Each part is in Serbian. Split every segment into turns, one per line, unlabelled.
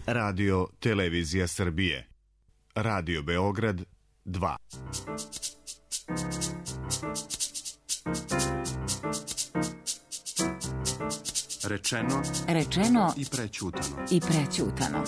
Radio Televizija Srbije. Radio Beograd 2.
Rečeno i prećutano.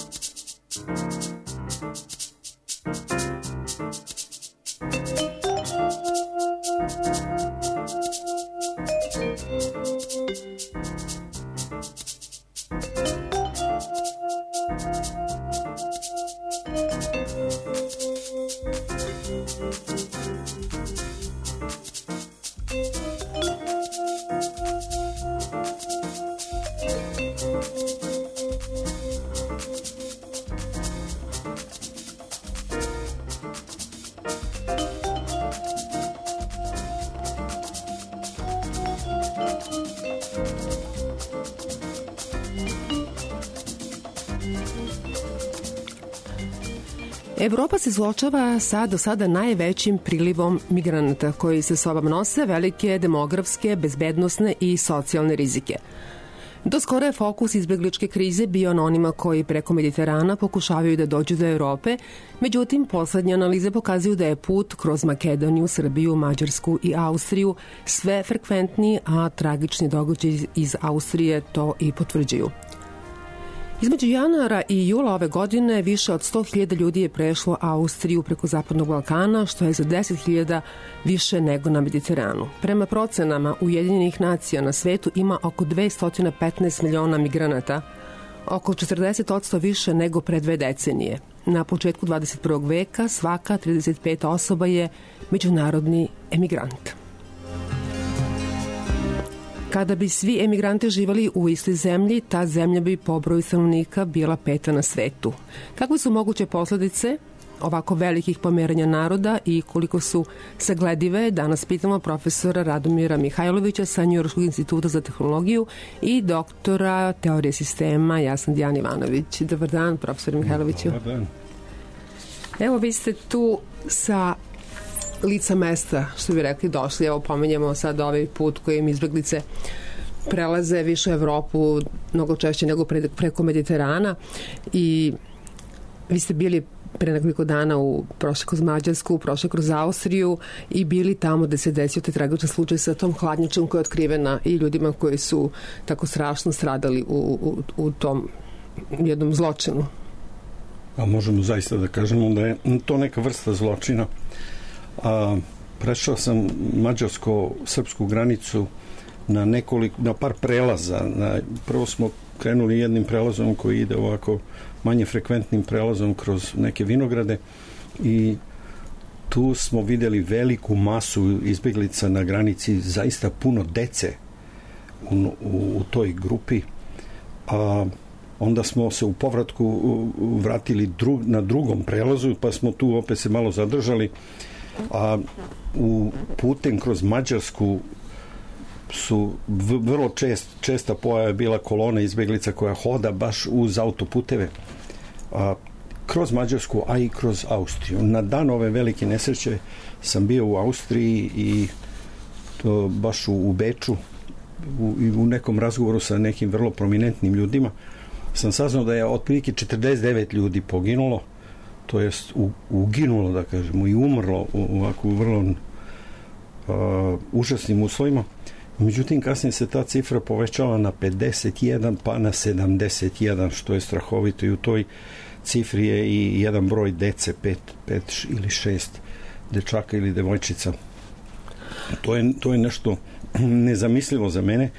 Evropa se suočava sa do sada najvećim prilivom migranata koji sa sobom nose velike demografske, bezbednosne i socijalne rizike. Do skoro je fokus izbegličke krize bio na onima koji preko Mediterana pokušavaju da dođu do Evrope, međutim, poslednje analize pokazuju da je put kroz Makedoniju, Srbiju, Mađarsku i Austriju sve frekventniji, a tragični događaji iz Austrije to i potvrđuju. Između januara i jula ove godine više od 100.000 ljudi je prešlo Austriju preko Zapadnog Balkana, što je za 10.000 više nego na Mediteranu. Prema procenama Ujedinjenih nacija na svetu ima oko 215 miliona migranata, oko 40% više nego pre 2 decenije. Na početku 21. veka svaka 35 osoba je međunarodni emigrant. Kada bi svi emigranti živali u istoj zemlji, ta zemlja bi po broju stanovnika bila 5. na svetu. Kakve su moguće posledice ovako velikih pomeranja naroda i koliko su sagledive, danas pitamo profesora Radomira Mihajlovića sa Njujorškog instituta za tehnologiju i doktora teorije sistema Jasna Dijan Ivanović. Dobar dan, profesor Mihajloviću.
Dobar dan.
Evo, vi ste tu sa lica mesta, što bi rekli, došli. Evo, pomenjamo sad ovaj put kojim izbeglice prelaze više Evropu, mnogo češće nego preko Mediterana, i vi ste bili pre nekoliko dana prošli kroz Mađarsku, prošli kroz Austriju i bili tamo gde se desio taj tragičan slučaj sa tom hladnjačom koja je otkrivena i ljudima koji su tako strašno stradali u tom jednom zločinu.
A možemo zaista da kažemo da je to neka vrsta zločina. Prešao sam mađarsko-srpsku granicu na par prelaza. Prvo smo krenuli jednim prelazom koji ide ovako manje frekventnim prelazom kroz neke vinograde i tu smo videli veliku masu izbeglica na granici, zaista puno dece u toj grupi. Onda smo se u povratku vratili na drugom prelazu, pa smo tu opet se malo zadržali. Putem kroz Mađarsku su vrlo česta pojava bila kolona izbeglica koja hoda baš uz autoputeve kroz Mađarsku, a i kroz Austriju. Na dan ove velike nesreće sam bio u Austriji i to baš u Beču, u nekom razgovoru sa nekim vrlo prominentnim ljudima sam saznao da je otprilike 49 ljudi poginulo, to jest uginulo, da kažemo, i umrlo u ovako vrlo užasnim uslovima. Međutim, kasnije se ta cifra povećala na 51 pa na 71, što je strahovito, i u toj cifri je i jedan broj dece, 5 ili 6 dečaka ili devojčica. To je nešto nezamislivo za mene,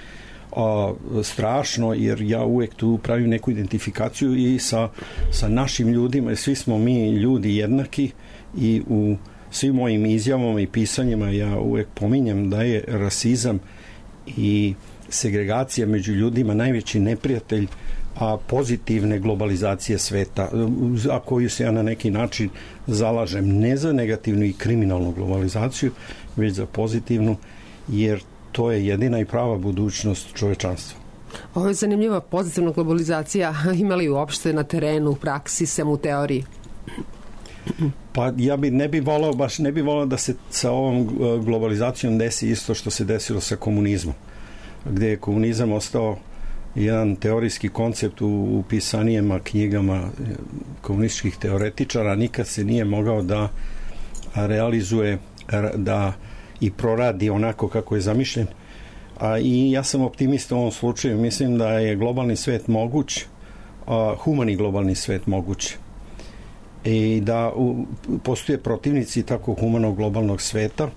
strašno, jer ja uvek tu pravim neku identifikaciju i sa našim ljudima, jer svi smo mi ljudi jednaki i u svim mojim izjavama i pisanjima ja uvek pominjem da je rasizam i segregacija među ljudima najveći neprijatelj pozitivne globalizacije sveta, a koju se ja na neki način zalažem, ne za negativnu i kriminalnu globalizaciju, već za pozitivnu, jer to je jedina i prava budućnost čovečanstva.
Ovo je zanimljiva pozitivna globalizacija. Ima li uopšte na terenu, u praksi, sem u teoriji?
Pa ja ne bi volao da se sa ovom globalizacijom desi isto što se desilo sa komunizmom, gde je komunizam ostao jedan teorijski koncept u pisanijama knjigama komunističkih teoretičara, nikad se nije mogao da realizuje, da i proradi onako kako je zamišljen. I ja sam optimista u ovom slučaju. Mislim da je globalni svet moguć, humani globalni svet moguć. I da postoje protivnici tako humanog globalnog sveta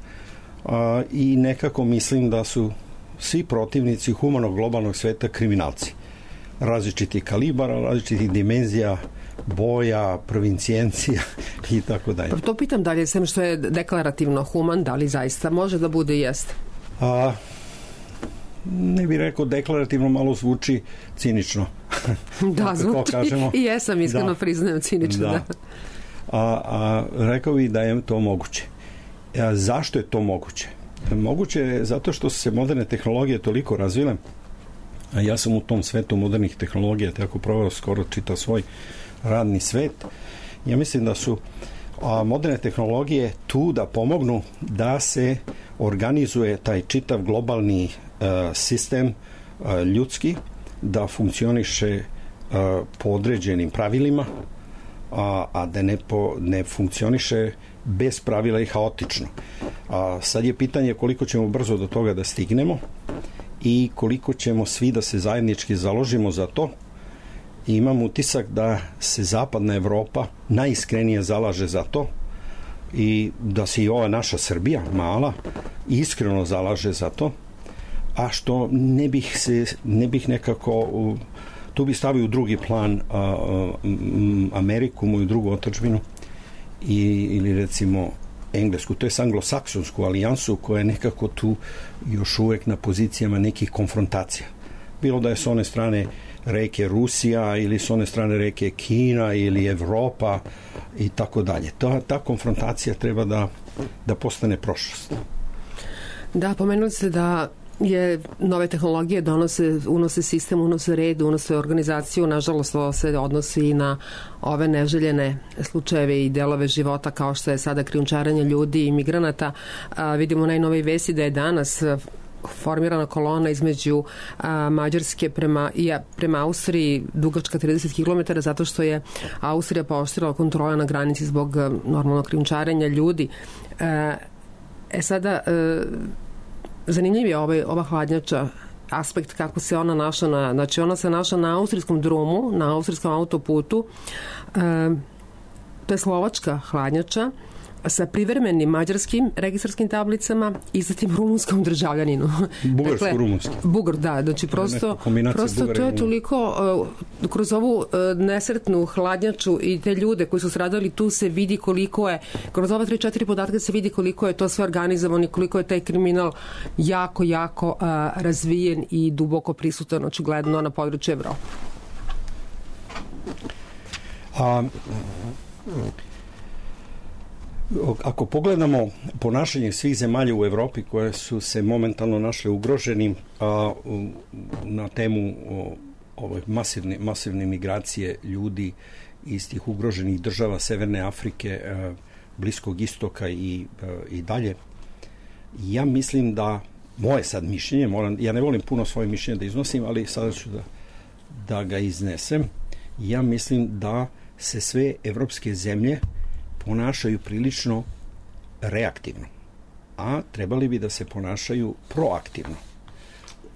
i nekako mislim da su svi protivnici humanog globalnog sveta kriminalci. Različitih kalibara, različitih dimenzija, boja, provincijencija i tako dalje.
To pitam dalje, sem što je deklarativno human, da li zaista može da bude i jeste?
Ne bih rekao deklarativno, malo zvuči cinično.
Da, zvuči i jesam iskreno priznajem cinično.
Da. Rekao bih da je to moguće. Zašto je to moguće? Moguće je zato što su se moderne tehnologije toliko razvile, a ja sam u tom svetu modernih tehnologija tako proveo skoro čitav svoj radni svet. Ja mislim da su moderne tehnologije tu da pomognu da se organizuje taj čitav globalni sistem ljudski, da funkcioniše po određenim pravilima, a da ne funkcioniše bez pravila i haotično. Sad je pitanje koliko ćemo brzo do toga da stignemo i koliko ćemo svi da se zajednički založimo za to. I imam utisak da se zapadna Evropa najiskrenije zalaže za to i da se i ova naša Srbija mala iskreno zalaže za to, a što ne bih nekako tu bi stavio u drugi plan Ameriku, moju drugu otadžbinu, ili recimo Englesku, to je anglosaksonsku alijansu koja je nekako tu još uvek na pozicijama nekih konfrontacija. Bilo da je s one strane reke Rusija ili s one strane reke Kina ili Evropa i tako dalje. Ta konfrontacija treba da postane prošlost.
Da, pomenuli ste da nove tehnologije unose sistem, unose red, unose organizaciju. Nažalost, ovo se odnosi i na ove neželjene slučajeve i delove života kao što je sada krijumčarenje ljudi i migranata. Vidimo najnovije vesti da je danas formirana kolona između Mađarske prema Austriji dugačka 30 km zato što je Austrija pooštrila kontrole na granici zbog normalnog krijumčarenja ljudi. Sada zanimljiv je ova hladnjača, aspekt kako se ona našla znači ona se našla na austrijskom drumu, na austrijskom autoputu. To je slovačka hladnjača sa privremenim mađarskim registarskim tablicama i zatim rumunskom državljaninu.
Bugarsko-rumunski.
Da, znači prosto to je toliko kroz ovu nesretnu hladnjaču i te ljude koji su stradali, tu se vidi koliko je, kroz ova 3-4 podatka se vidi koliko je to sve organizovano i koliko je taj kriminal jako, jako razvijen i duboko prisutan očigledno na području Evrope.
Ako pogledamo ponašanje svih zemalja u Evropi koje su se momentalno našle ugroženim na temu ove masivne migracije ljudi iz tih ugroženih država Severne Afrike, Bliskog istoka i dalje, ja mislim da moje sad mišljenje, ja ne volim puno svoje mišljenje da iznosim, ali sada ću da ga iznesem. Ja mislim da se sve evropske zemlje ponašaju prilično reaktivno, a trebali bi da se ponašaju proaktivno.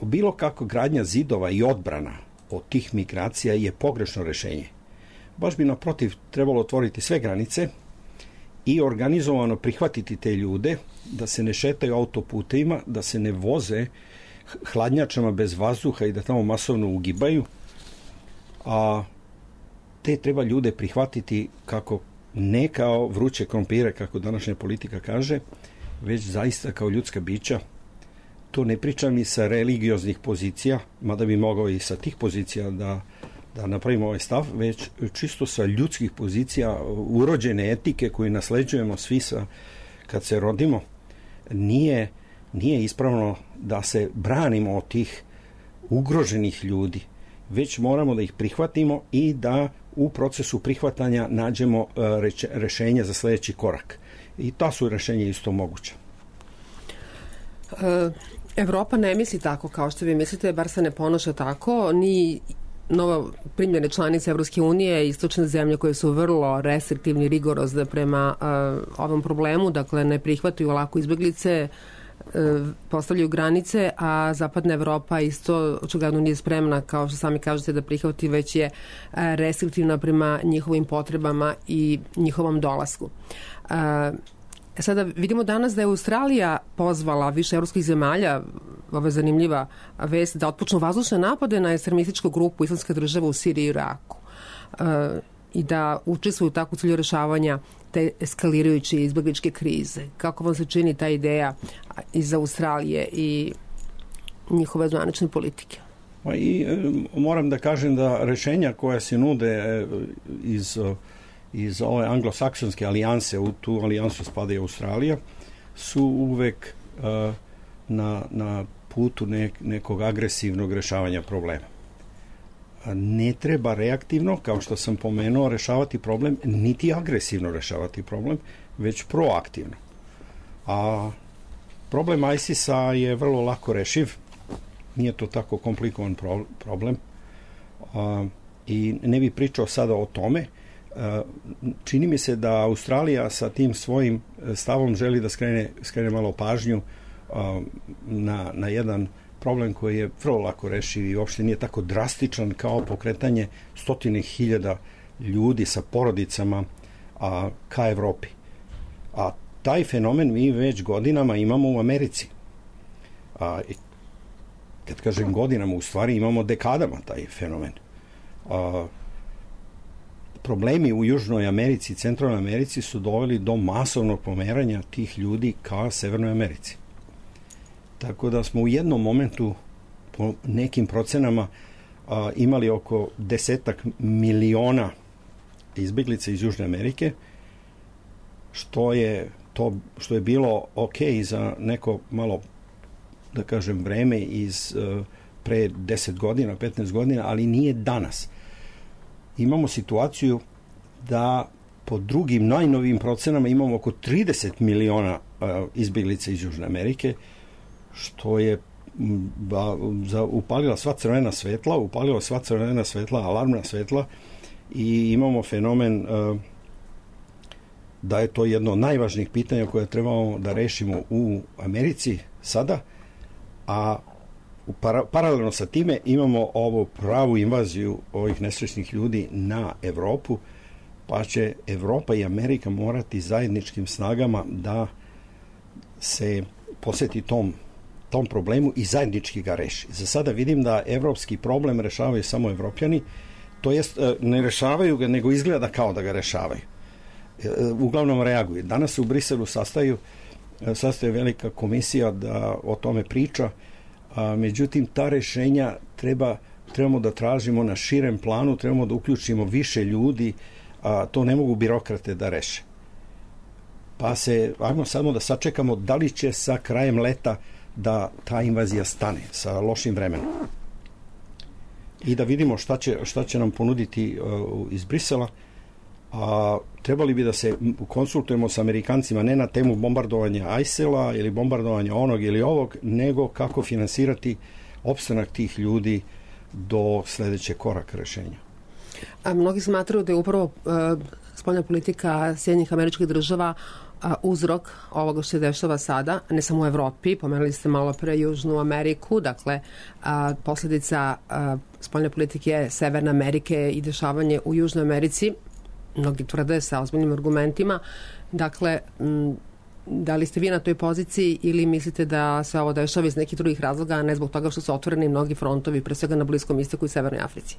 Bilo kako gradnja zidova i odbrana od tih migracija je pogrešno rešenje. Baš bi naprotiv trebalo otvoriti sve granice i organizovano prihvatiti te ljude, da se ne šetaju autoputevima, da se ne voze hladnjačama bez vazduha i da tamo masovno ugibaju, a te treba ljude prihvatiti ne kao vruće krompire, kako današnja politika kaže, već zaista kao ljudska bića. To ne pričam i sa religioznih pozicija, mada bi mogao i sa tih pozicija da napravimo ovaj stav, već čisto sa ljudskih pozicija, urođene etike koje nasleđujemo svi kad se rodimo. Nije ispravno da se branimo od tih ugroženih ljudi, već moramo da ih prihvatimo i da u procesu prihvatanja nađemo rešenja za sledeći korak. I ta su rešenja isto moguća.
Evropa ne misli tako kao što vi mislite, bar se ne ponaša tako, ni novo primljene članice Evropske unije, istočne zemlje koje su vrlo restriktivni, rigorozne prema ovom problemu, dakle ne prihvataju lako izbeglice, postavljaju granice, a zapadna Evropa isto očigledno nije spremna, kao što sami kažete, da prihvati, već je restriktivna prema njihovim potrebama i njihovom dolasku. Sada vidimo danas da je Australija pozvala više evropskih zemalja, ova zanimljiva vest, da otpočnu vazdušne napade na ekstremističku grupu Islamske države u Siriji i Iraku i da učestvuju tako u cilju rešavanja te eskalirajuće izbegličke krize. Kako vam se čini ta ideja iz Australije i njihove zvanične politike?
I moram da kažem da rešenja koja se nude iz ove anglosaksonske alijanse, u tu alijansu spada i Australija, su uvek na putu nekog agresivnog rešavanja problema. Ne treba reaktivno, kao što sam pomenuo, rešavati problem, niti agresivno rešavati problem, već proaktivno. A problem ISIS-a je vrlo lako rešiv, nije to tako komplikovan problem i ne bih pričao sada o tome. Čini mi se da Australija sa tim svojim stavom želi da skrene malo pažnju na jedan problem koji je vrlo lako rešiv i uopšte nije tako drastičan kao pokretanje stotine hiljada ljudi sa porodicama ka Evropi. A taj fenomen mi već godinama imamo u Americi. Kad kažem godinama, u stvari imamo dekadama taj fenomen. Problemi u Južnoj Americi i Centralnoj Americi su doveli do masovnog pomeranja tih ljudi ka Severnoj Americi. Tako da smo u jednom momentu, po nekim procenama, imali oko 10 miliona izbeglica iz Južne Amerike, što je bilo ok za neko malo, da kažem, vreme iz pre 10 godina, 15 godina, ali nije danas. Imamo situaciju da po drugim najnovijim procenama imamo oko 30 miliona izbeglica iz Južne Amerike, što je upalila sva crvena svetla, alarmna svetla, i imamo fenomen da je to jedno od najvažnijih pitanja koje trebamo da rešimo u Americi sada, a paralelno sa time imamo ovu pravu invaziju ovih nesrećnih ljudi na Evropu, pa će Evropa i Amerika morati zajedničkim snagama da se posveti tom problemu i zajednički ga reši. Za sada vidim da evropski problem rešavaju samo Evropljani, to jest ne rešavaju ga, nego izgleda kao da ga rešavaju. Uglavnom reaguju. Danas se u Briselu sastaje velika komisija da o tome priča, međutim ta rešenja trebamo da tražimo na širem planu, trebamo da uključimo više ljudi, to ne mogu birokrate da reše. Pa ajmo samo da sačekamo da li će sa krajem leta da ta invazija stane sa lošim vremenom. I da vidimo šta će nam ponuditi iz Brisela. Trebali bi da se konsultujemo sa Amerikancima ne na temu bombardovanja ISIL-a ili bombardovanja onog ili ovog, nego kako finansirati opstanak tih ljudi do sledećeg koraka rešenja.
A mnogi smatraju da je upravo spoljna politika Sjedinjenih Američkih Država uzrok ovoga što se dešava sada, ne samo u Evropi, pomenuli ste malo pre Južnu Ameriku, dakle posledica spoljne politike Severne Amerike i dešavanje u Južnoj Americi, mnogi tvrde sa ozbiljnim argumentima. Dakle, da li ste vi na toj poziciji ili mislite da se ovo dešava iz nekih drugih razloga, a ne zbog toga što su otvoreni mnogi frontovi, pre svega na Bliskom istoku i Severnoj Africi?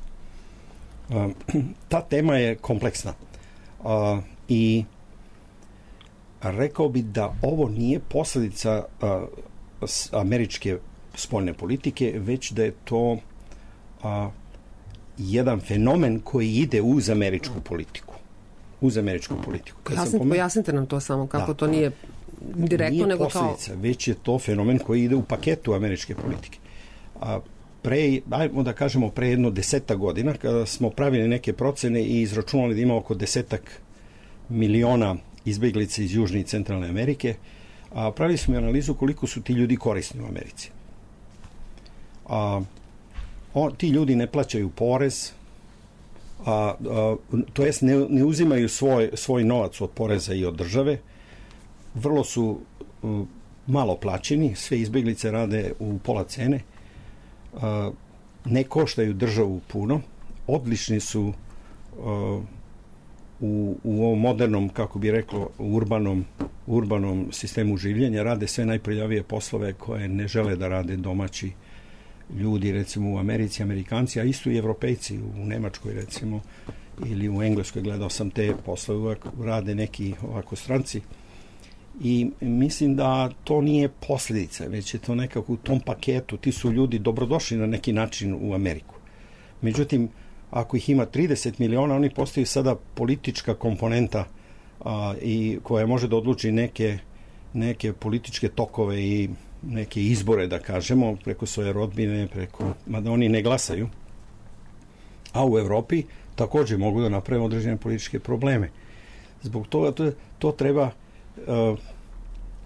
Ta tema je kompleksna i rekao bi da ovo nije posledica američke spoljne politike, već da je to jedan fenomen koji ide uz američku politiku.
Pojasnite nam to samo, kako to nije direktno,
nije
nego
posljedica, već je to fenomen koji ide u paketu američke politike. Ajmo da kažemo pre jedno 10 godina, kada smo pravili neke procene i izračunali da ima oko 10 miliona izbeglica iz Južne i Centralne Amerike, pravili smo analizu koliko su ti ljudi korisni u Americi. Ti ljudi ne plaćaju porez, to jest ne uzimaju svoj novac od poreza i od države, vrlo su malo plaćeni, sve izbjeglice rade u pola cene, ne koštaju državu puno, odlični su u ovom modernom, kako bi reklo, urbanom sistemu življenja, rade sve najprljavije poslove koje ne žele da rade domaći ljudi, recimo u Americi, Amerikanci, a isto i Evropejci u Nemačkoj, recimo, ili u Engleskoj, gledao sam te poslove, uvek rade neki ovako stranci. I mislim da to nije posljedica, već je to nekako u tom paketu, ti su ljudi dobrodošli na neki način u Ameriku. Međutim, ako ih ima 30 miliona, oni postaju sada politička komponenta i koja može da odluči neke političke tokove i neke izbore, da kažemo, preko svoje rodbine, mada oni ne glasaju. A u Evropi također mogu da naprave određene političke probleme. Zbog toga to treba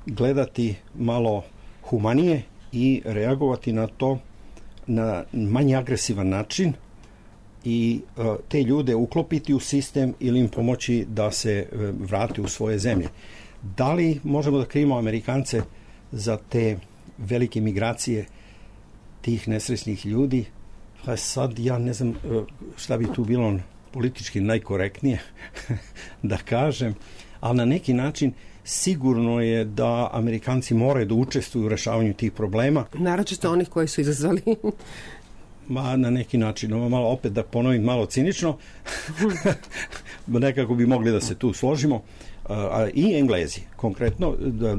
gledati malo humanije i reagovati na to na manje agresivan način i te ljude uklopiti u sistem ili im pomoći da se vrate u svoje zemlje. Da li možemo da krivimo Amerikance za te velike migracije tih nesrećnih ljudi? Pa sad ja ne znam šta bi tu bilo politički najkorektnije da kažem, ali na neki način sigurno je da Amerikanci moraju da učestvuju u rešavanju tih problema.
Naročito onih koji su izazvali.
Na neki način, malo opet da ponovim malo cinično, nekako bi mogli da se tu složimo, i Englezi, konkretno,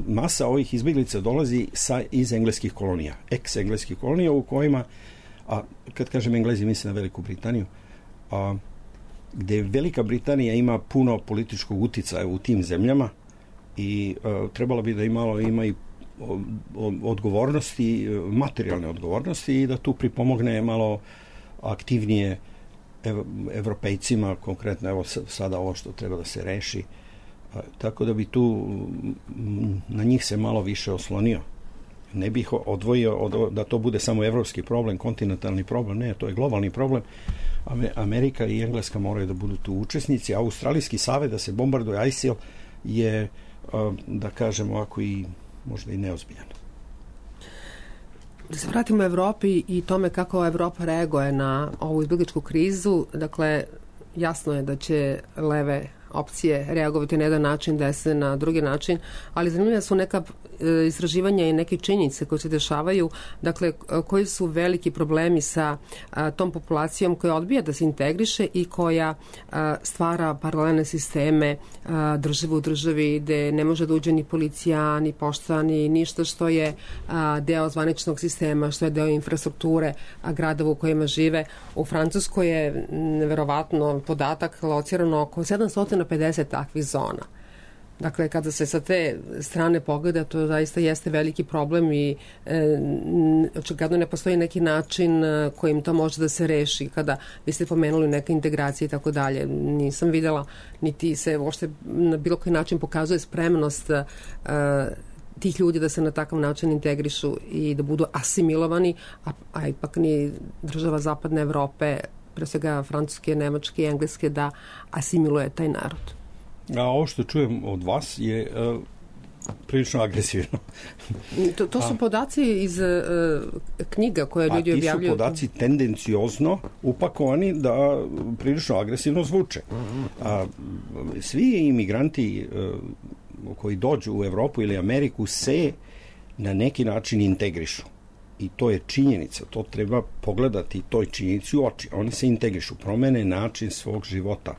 masa ovih izbjeglica dolazi iz engleskih kolonija, ex-engleskih kolonija u kojima, kad kažem Englezi, mislim na Veliku Britaniju, gdje Velika Britanija ima puno političkog uticaja u tim zemljama i trebalo bi da ima i odgovornosti, materijalne odgovornosti i da tu pripomogne malo aktivnije Evropejcima, konkretno evo sada ovo što treba da se reši, tako da bi tu na njih se malo više oslonio. Ne bih odvojio da to bude samo evropski problem, kontinentalni problem, ne, to je globalni problem. Amerika i Engleska moraju da budu tu učesnici. Australijski savez da se bombarduje ISIL je, da kažemo, ovako i možda i neozbiljan.
Da se vratimo u Evropi i tome kako Evropa reaguje na ovu izbjegličku krizu, dakle, jasno je da će leve opcije reagovati na jedan način, desne na drugi način, ali zanimljiva su neka istraživanja i neke činjenice koje se dešavaju, dakle, koji su veliki problemi sa tom populacijom koja odbija da se integriše i koja stvara paralelne sisteme države u državi gde ne može da uđe ni policija, ni pošta, ni ništa što je deo zvaničnog sistema, što je deo infrastrukture gradova u kojima žive. U Francuskoj je neverovatno podatak locirano oko 750 takvih zona. Dakle, kada se sa te strane pogleda, to zaista jeste veliki problem i očigledno ne postoji neki način kojim to može da se reši. Kada vi ste pomenuli neke integracije i tako dalje, nisam videla, niti se uopšte na bilo koji način pokazuje spremnost tih ljudi da se na takav način integrišu i da budu asimilovani, a ipak ni država Zapadne Evrope, pre svega Francuske, Nemačke i Engleske, da asimiluje taj narod.
A ovo što čujem od vas je prilično agresivno.
To su podaci iz knjiga koje ljudi objavljuju.
Ti su podaci tendenciozno upakovani da prilično agresivno zvuče. Svi imigranti koji dođu u Evropu ili Ameriku se na neki način integrišu. I to je činjenica, to treba pogledati toj činjenici u oči. Oni se integrišu, promene način svog života,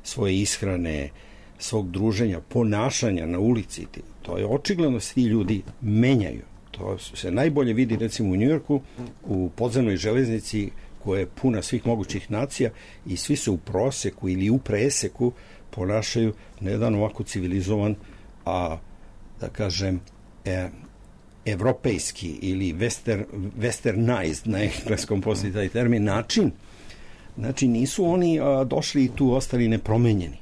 svoje ishrane, svog druženja, ponašanja na ulici. To je očigledno se ti ljudi menjaju. To se najbolje vidi recimo u Njujorku, u podzemnoj železnici koja je puna svih mogućih nacija i svi se u proseku ili u preseku ponašaju na jedan ovako civilizovan, da kažem, evropejski ili westernized, na engleskom postoji taj termin, način. Znači nisu oni došli i tu ostali nepromenjeni.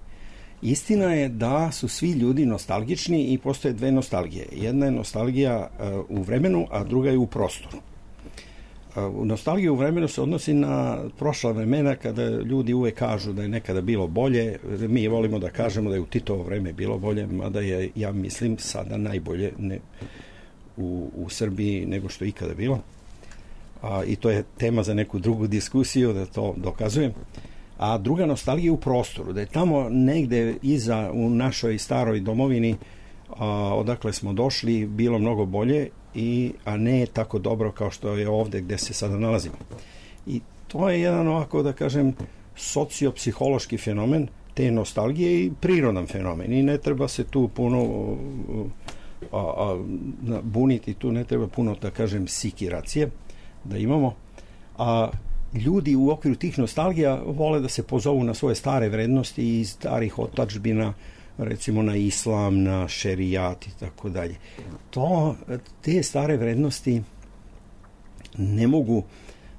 Istina je da su svi ljudi nostalgični i postoje dve nostalgije. Jedna je nostalgija u vremenu, a druga je u prostoru. Nostalgija u vremenu se odnosi na prošla vremena kada ljudi uvek kažu da je nekada bilo bolje. Mi volimo da kažemo da je u Titovo vreme bilo bolje, mada je, ja mislim, sada najbolje u Srbiji nego što je ikada bilo. I to je tema za neku drugu diskusiju, da to dokazujem. A druga nostalgija je u prostoru, da je tamo negde iza u našoj staroj domovini odakle smo došli bilo mnogo bolje, a ne tako dobro kao što je ovde gde se sada nalazimo. I to je jedan ovako, da kažem, sociopsihološki fenomen te nostalgije i prirodan fenomen. I ne treba se tu puno buniti, tu ne treba puno, da kažem, sikiracije da imamo. Ljudi u okviru tih nostalgija vole da se pozovu na svoje stare vrednosti iz starih otadžbina, recimo na islam, na šerijat i tako dalje. Te stare vrednosti ne mogu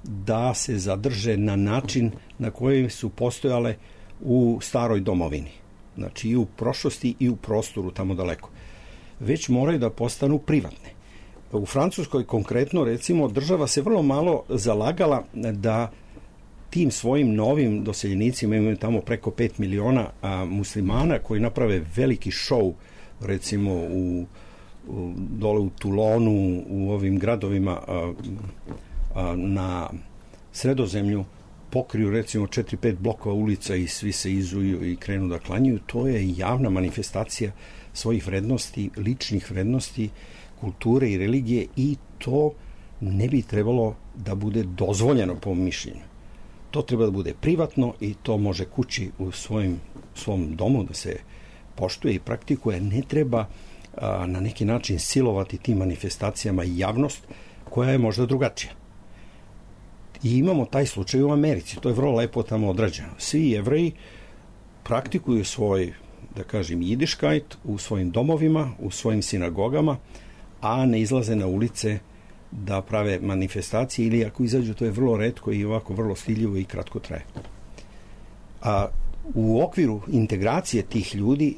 da se zadrže na način na koji su postojale u staroj domovini. Znači i u prošlosti i u prostoru tamo daleko. Već moraju da postanu privatne. U Francuskoj konkretno, recimo, država se vrlo malo zalagala da tim svojim novim doseljenicima, imaju tamo preko 5 miliona muslimana koji naprave veliki šou, recimo dole u Toulonu, u ovim gradovima na Sredozemlju, pokriju recimo 4-5 blokova ulica i svi se izuju i krenu da klanjaju. To je javna manifestacija svojih vrednosti, ličnih vrednosti, kulture i religije, i to ne bi trebalo da bude dozvoljeno po mišljenju. To treba da bude privatno i to može kući u svom domu da se poštuje i praktikuje. Ne treba na neki način silovati tim manifestacijama javnost koja je možda drugačija. I imamo taj slučaj u Americi. To je vrlo lepo tamo odrađeno. Svi Jevreji praktikuju svoj, da kažem, jidiškajt u svojim domovima, u svojim sinagogama, a ne izlaze na ulice da prave manifestacije, ili ako izađu, to je vrlo retko i ovako vrlo stiljivo i kratko traje. A u okviru integracije tih ljudi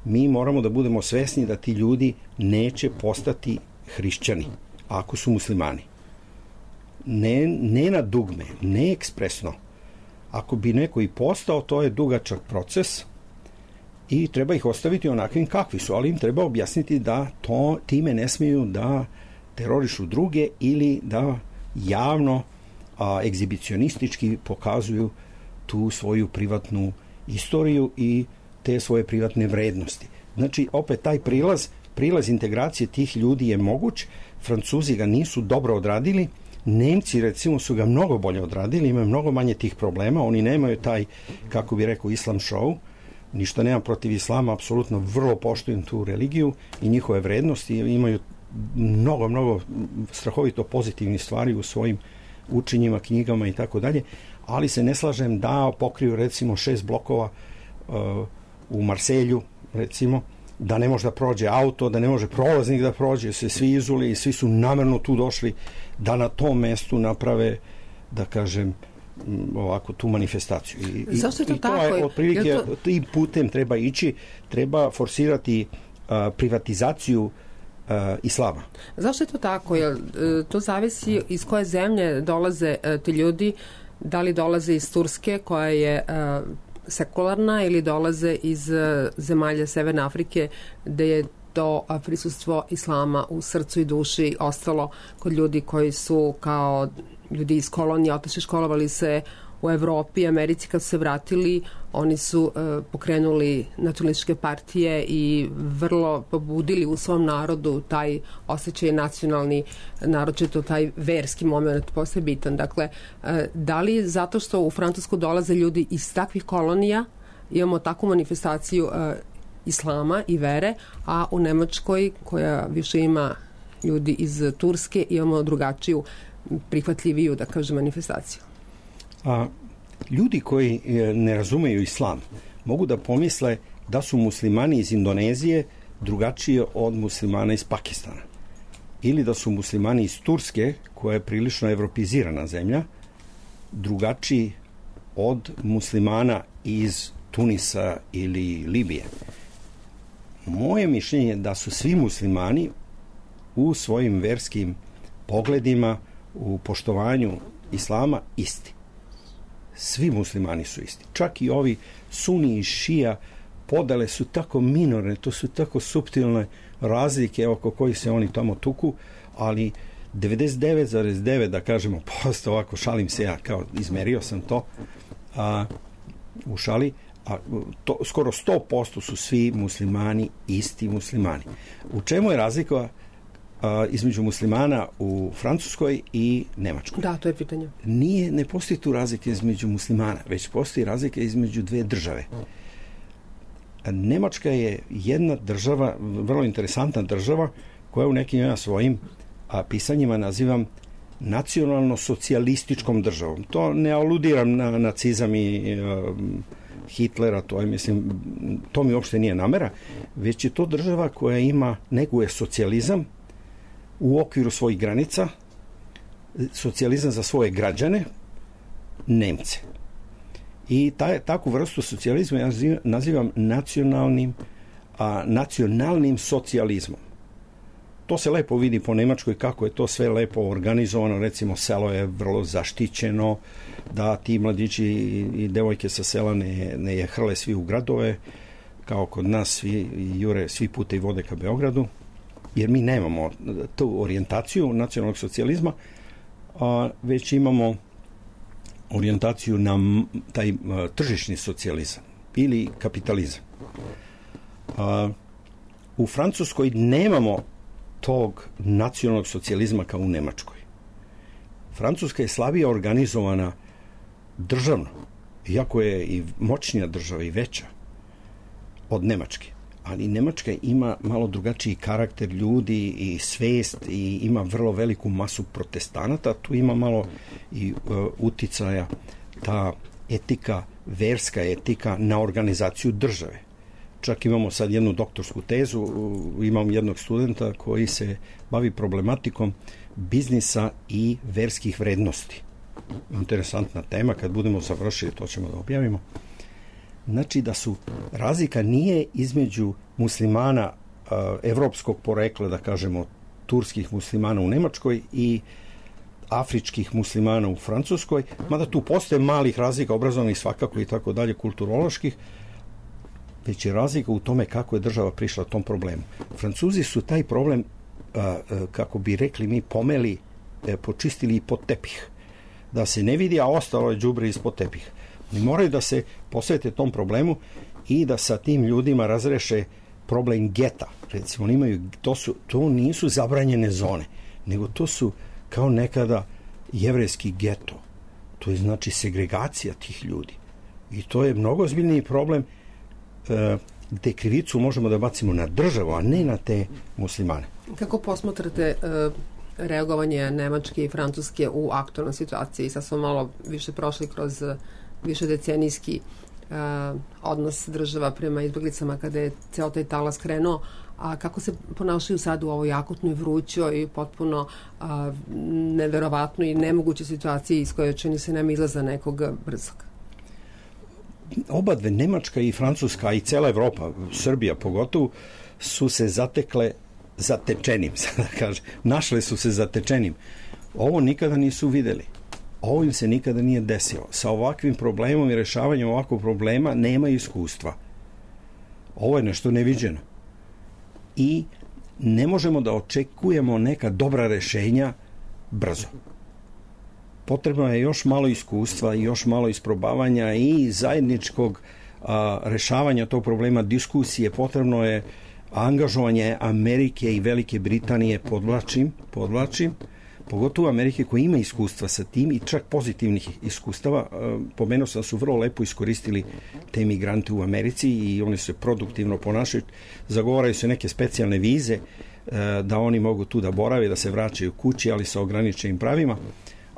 mi moramo da budemo svesni da ti ljudi neće postati hrišćani ako su muslimani. Ne na dugme, ne ekspresno. Ako bi neko i postao, to je dugačak proces i treba ih ostaviti onakvim kakvi su, ali im treba objasniti da time ne smiju da terorišu druge ili da javno egzibicionistički pokazuju tu svoju privatnu istoriju i te svoje privatne vrednosti. Znači, opet taj prilaz integracije tih ljudi je moguć. Francuzi ga nisu dobro odradili, Nemci recimo su ga mnogo bolje odradili, imaju mnogo manje tih problema, oni nemaju taj, kako bi rekao, islam show. Ništa nemam protiv islama, apsolutno vrlo poštujem tu religiju i njihove vrednosti, imaju mnogo strahovito pozitivnih stvari u svojim učenjima, knjigama i tako dalje, ali se ne slažem da pokriju recimo 6 blokova u Marselju, recimo, da ne može da prođe auto, da ne može prolaznik da prođe, se svi izuli i svi su namerno tu došli da na tom mestu naprave, da kažem, ovako tu manifestaciju.
Zašto je to tako?
To je otprilike, tim putem treba ići, treba forsirati privatizaciju islama.
Zašto je to tako? Jer to zavisi iz koje zemlje dolaze ti ljudi, da li dolaze iz Turske koja je sekularna ili dolaze iz zemalja Severne Afrike gde je to prisustvo islama u srcu i duši ostalo kod ljudi koji su kao ljudi iz kolonije otišli, školovali se u Evropi, Americi. Kad su se vratili, oni su pokrenuli nacionalističke partije i vrlo pobudili u svom narodu taj osjećaj nacionalni, naročito taj verski moment postaje bitan. Dakle, da li zato što u Francusku dolaze ljudi iz takvih kolonija, imamo takvu manifestaciju islama i vere, a u Nemačkoj, koja više ima ljudi iz Turske, imamo drugačiju, prihvatljiviju, da kažem, manifestaciju.
Ljudi koji ne razumeju islam mogu da pomisle da su muslimani iz Indonezije drugačije od muslimana iz Pakistana, ili da su muslimani iz Turske, koja je prilično evropizirana zemlja, drugačiji od muslimana iz Tunisa ili Libije. Moje mišljenje je da su svi muslimani u svojim verskim pogledima, u poštovanju islama isti. Svi muslimani su isti. Čak i ovi suni i šija podele su tako minorne, to su tako suptilne razlike oko kojih se oni tamo tuku, ali 99,9 da kažemo posto, ovako šalim se ja, kao izmerio sam to u šali, skoro 100% su svi muslimani isti muslimani. U čemu je razlika između muslimana u Francuskoj i Nemačkoj?
Da, to je pitanje.
Ne postoji tu razlike između muslimana, već postoji razlika između dve države. Nemačka je jedna država, vrlo interesantna država, koja u nekim svojim pisanjima nazivam nacionalno-socijalističkom državom. To ne aludiram na nacizam i Hitlera, to mi uopšte nije namera, već je to država koja neguje socijalizam u okviru svojih granica, socijalizam za svoje građane, Nemce. I takvu vrstu socijalizma ja nazivam nacionalnim socijalizmom. To se lepo vidi po Nemačkoj kako je to sve lepo organizovano, recimo selo je vrlo zaštićeno, da ti mladići i devojke sa sela ne je hrle svi u gradove, kao kod nas svi jure, svi puta i vode ka Beogradu, jer mi nemamo tu orijentaciju nacionalnog socijalizma, već imamo orijentaciju na taj tržišni socijalizam ili kapitalizam. U Francuskoj nemamo tog nacionalnog socijalizma kao u Nemačkoj. Francuska je slabije organizovana državno, iako je i moćnija država i veća od Nemačke. Ali Nemačka ima malo drugačiji karakter ljudi i svest i ima vrlo veliku masu protestanata. Tu ima malo i uticaja ta etika, verska etika na organizaciju države. Čak imamo sad jednu doktorsku tezu, imam jednog studenta koji se bavi problematikom biznisa i verskih vrednosti. Interesantna tema, kad budemo završili to ćemo da objavimo. Znači da razlika nije između muslimana evropskog porekla, da kažemo turskih muslimana u Nemačkoj i afričkih muslimana u Francuskoj, mada tu postoje malih razlika obrazovnih svakako i tako dalje, kulturoloških, već je razlika u tome kako je država prišla tom problemu. Francuzi su taj problem, kako bi rekli mi, pomeli, počistili i pod tepih. Da se ne vidi, a ostalo je đubre ispod tepih. Oni moraju da se posvete tom problemu i da sa tim ljudima razreše problem geta. Recimo, to nisu zabranjene zone, nego to su kao nekada jevrejski geto. To je znači segregacija tih ljudi. I to je mnogo ozbiljniji problem, gde krivicu možemo da bacimo na državu, a ne na te muslimane.
Kako posmatrate reagovanje Nemačke i Francuske u aktualnoj situaciji? Sad smo malo više prošli kroz više decenijski odnos država prema izbeglicama kada je ceo taj talas krenuo, a kako se ponašaju sad u ovoj akutnoj, vrućoj i potpuno neverovatnoj i nemogućoj situaciji iz koje čini se nema izlaza nekog brzog?
Oba dve, Nemačka i Francuska i cela Evropa, Srbija pogotovo, su se zatekle zatečenim, sada kažem. Našle su se zatečenim. Ovo nikada nisu videli. Ovo im se nikada nije desilo. Sa ovakvim problemom i rešavanjem ovakvog problema nema iskustva. Ovo je nešto neviđeno. I ne možemo da očekujemo neka dobra rešenja brzo. Potrebno je još malo iskustva i još malo isprobavanja i zajedničkog rešavanja tog problema, diskusije. Potrebno je angažovanje Amerike i Velike Britanije, podvlačim, pogotovo Amerike koja ima iskustva sa tim i čak pozitivnih iskustava. Pomenuo sam da su vrlo lepo iskoristili te migrante u Americi i oni se produktivno ponašaju. Zagovaraju se neke specijalne vize da oni mogu tu da borave, da se vraćaju kući, ali sa ograničenim pravima.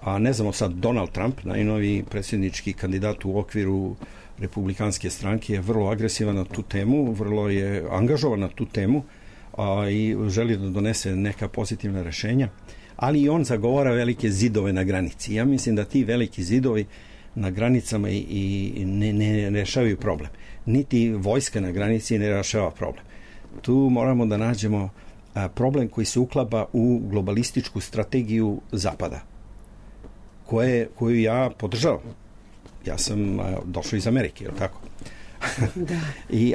A ne znamo sad, Donald Trump, najnoviji predsjednički kandidat u okviru republikanske stranke, je vrlo agresivan na tu temu, vrlo je angažovan na tu temu i želi da donese neka pozitivna rešenja, ali i on zagovara velike zidove na granici. Ja mislim da ti veliki zidovi na granicama i ne rešavaju problem. Niti vojska na granici ne rešava problem. Tu moramo da nađemo problem koji se uklapa u globalističku strategiju Zapada. koju ja podržavam. Ja sam došao iz Amerike, je li tako?
Da.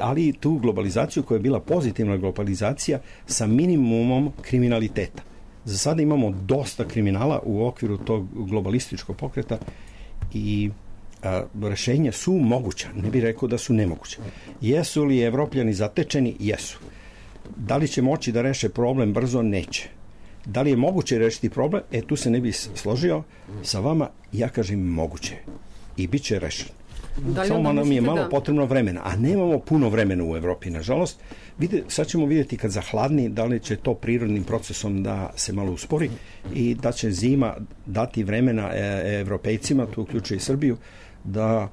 Ali tu globalizaciju koja je bila pozitivna globalizacija sa minimumom kriminaliteta. Za sada imamo dosta kriminala u okviru tog globalističkog pokreta i rešenja su moguća, ne bih rekao da su nemoguća. Jesu li Evropljani zatečeni? Jesu. Da li će moći da reše problem brzo? Neće. Da li je moguće rešiti problem? Tu se ne bih složio sa vama, ja kažem moguće. I bit će rešen. Samo nam je malo potrebno vremena, a nemamo puno vremena u Evropi, nažalost. Sad ćemo vidjeti kad zahladni da li će to prirodnim procesom da se malo uspori i da će zima dati vremena Evropejcima, tu uključuje i Srbiju, da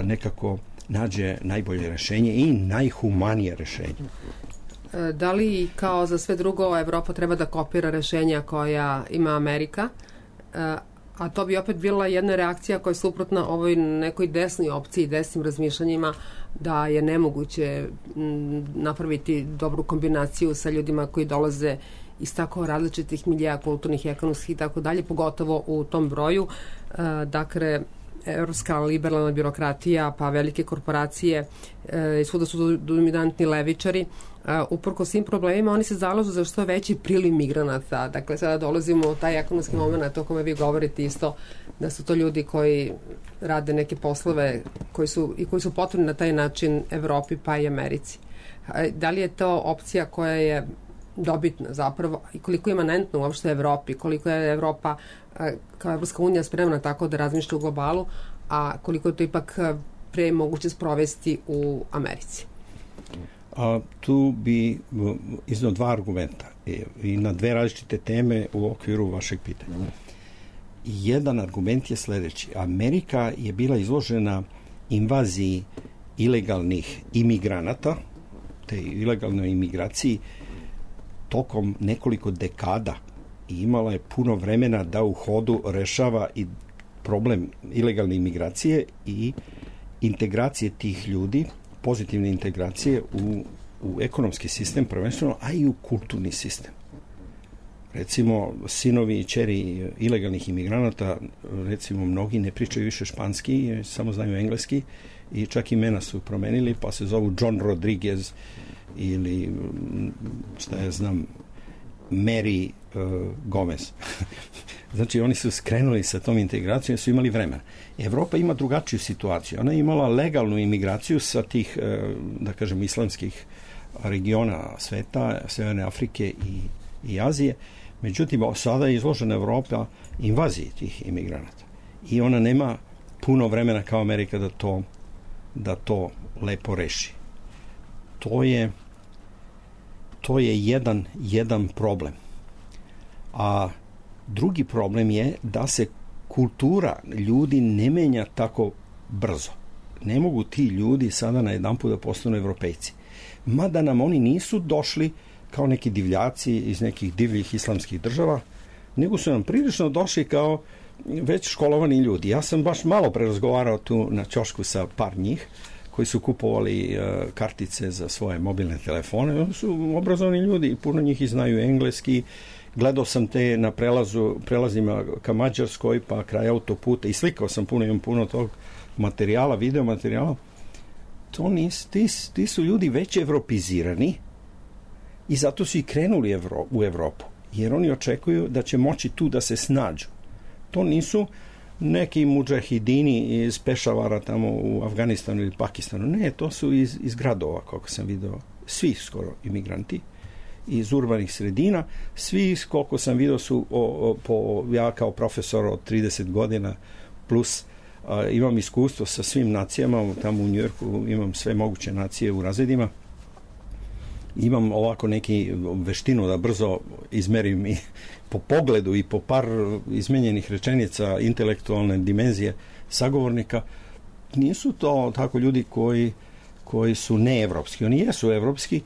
nekako nađe najbolje rešenje i najhumanije rešenje.
Da li kao za sve drugo Evropa treba da kopira rešenja koja ima Amerika? A to bi opet bila jedna reakcija koja je suprotna ovoj nekoj desnoj opciji, desnim razmišljanjima da je nemoguće napraviti dobru kombinaciju sa ljudima koji dolaze iz tako različitih milija, kulturnih, ekonomskih i tako dalje, pogotovo u tom broju. Dakle, evropska liberalna birokratija, pa velike korporacije, svuda su dominantni levičari. Uprko svim problemima, oni se zalažu za što veći priliv migranata. Dakle, sada dolazimo u taj ekonomski moment o kome vi govorite isto, da su to ljudi koji rade neke poslove koji su potrebni na taj način Evropi pa i Americi. Da li je to opcija koja je dobitna zapravo i koliko je imanentna uopšte Evropi, koliko je Evropa kao Evropska unija spremna tako da razmišlja u globalu, a koliko je to ipak pre moguće sprovesti u Americi?
Tu bi izneo dva argumenta i na dve različite teme u okviru vašeg pitanja. Jedan argument je sledeći. Amerika je bila izložena invaziji ilegalnih imigranata, te ilegalnoj imigraciji tokom nekoliko dekada i imala je puno vremena da u hodu rešava i problem ilegalne imigracije i integracije tih ljudi, pozitivne integracije u ekonomski sistem prvenstveno, a i u kulturni sistem. Recimo, sinovi i ćeri ilegalnih imigranata, recimo, mnogi ne pričaju više španski, samo znaju engleski i čak imena su promenili, pa se zovu John Rodriguez ili, šta ja znam, Mary Gomez. Znači, oni su skrenuli sa tom integracijom, su imali vremena. Evropa ima drugačiju situaciju. Ona je imala legalnu imigraciju sa tih, da kažem, islamskih regiona sveta, Severne Afrike i Azije. Međutim, sada je izložena Evropa invaziji tih imigranata. I ona nema puno vremena kao Amerika da to lepo reši. To je jedan problem. A drugi problem je da se kultura ljudi ne menja tako brzo. Ne mogu ti ljudi sada na jedanput da postanu Evropejci. Mada nam oni nisu došli kao neki divljaci iz nekih divljih islamskih država, nego su nam prilično došli kao već školovani ljudi. Ja sam baš malo prerazgovarao tu na ćošku sa par njih koji su kupovali kartice za svoje mobilne telefone. Oni su obrazovani ljudi i puno njih i znaju engleski. Gledao sam te na prelazima ka Mađarskoj pa kraj autoputa i slikao sam imam puno tog materijala, video materijala. Ti su ljudi već evropizirani i zato su i krenuli u Evropu, jer oni očekuju da će moći tu da se snađu. To nisu neki mudžahidini iz Pešavara tamo u Afganistanu ili Pakistanu. Ne, to su iz gradova, kako sam video, svi skoro imigranti iz urbanih sredina. Svi, koliko sam video, su ja kao profesor od 30 godina plus imam iskustvo sa svim nacijama, tamo u Njujorku imam sve moguće nacije u razredima. Imam ovako neki veštinu da brzo izmerim i po pogledu i po par izmenjenih rečenica intelektualne dimenzije sagovornika. Nisu to tako ljudi koji su neevropski. Oni jesu evropski,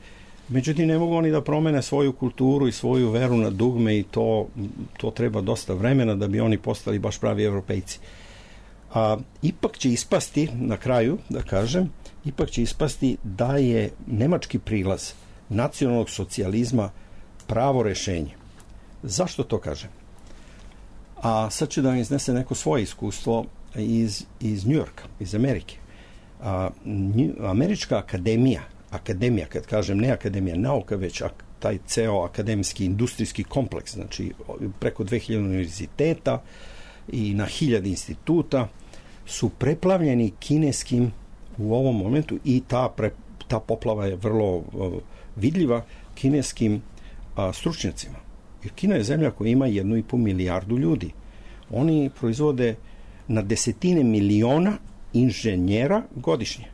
međutim ne mogu oni da promene svoju kulturu i svoju veru na dugme i to treba dosta vremena da bi oni postali baš pravi evropejci. Ipak će ispasti, na kraju da kažem, ipak će ispasti da je nemački prilaz nacionalnog socijalizma pravo rešenje. Zašto to kažem? A sad ću da vam iznese neko svoje iskustvo iz Njujorka, iz Amerike. Američka akademija, kad kažem ne akademija nauka, već taj ceo akademski industrijski kompleks, znači preko 2000 univerziteta i na 1000 instituta, su preplavljeni kineskim u ovom momentu i ta poplava je vrlo vidljiva kineskim stručnjacima. Jer Kina je zemlja koja ima 1,5 milijardu ljudi. Oni proizvode na desetine miliona inženjera godišnje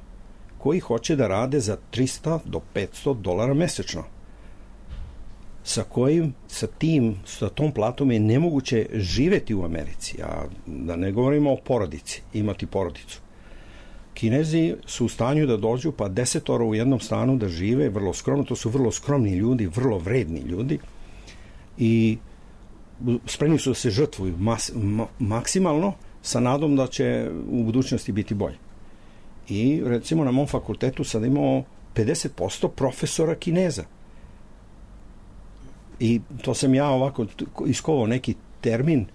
koji hoće da rade za $300 do $500 mesečno. Sa tom platom je nemoguće živeti u Americi, a da ne govorimo o porodici, imati porodicu. Kinezi su u stanju da dođu pa 10 u jednom stanu da žive vrlo skromno, to su vrlo skromni ljudi, vrlo vredni ljudi i spremni su da se žrtvuju maksimalno sa nadom da će u budućnosti biti bolje. I recimo na mom fakultetu sad imamo 50% profesora Kineza. I to sam ja ovako iskovao neki termin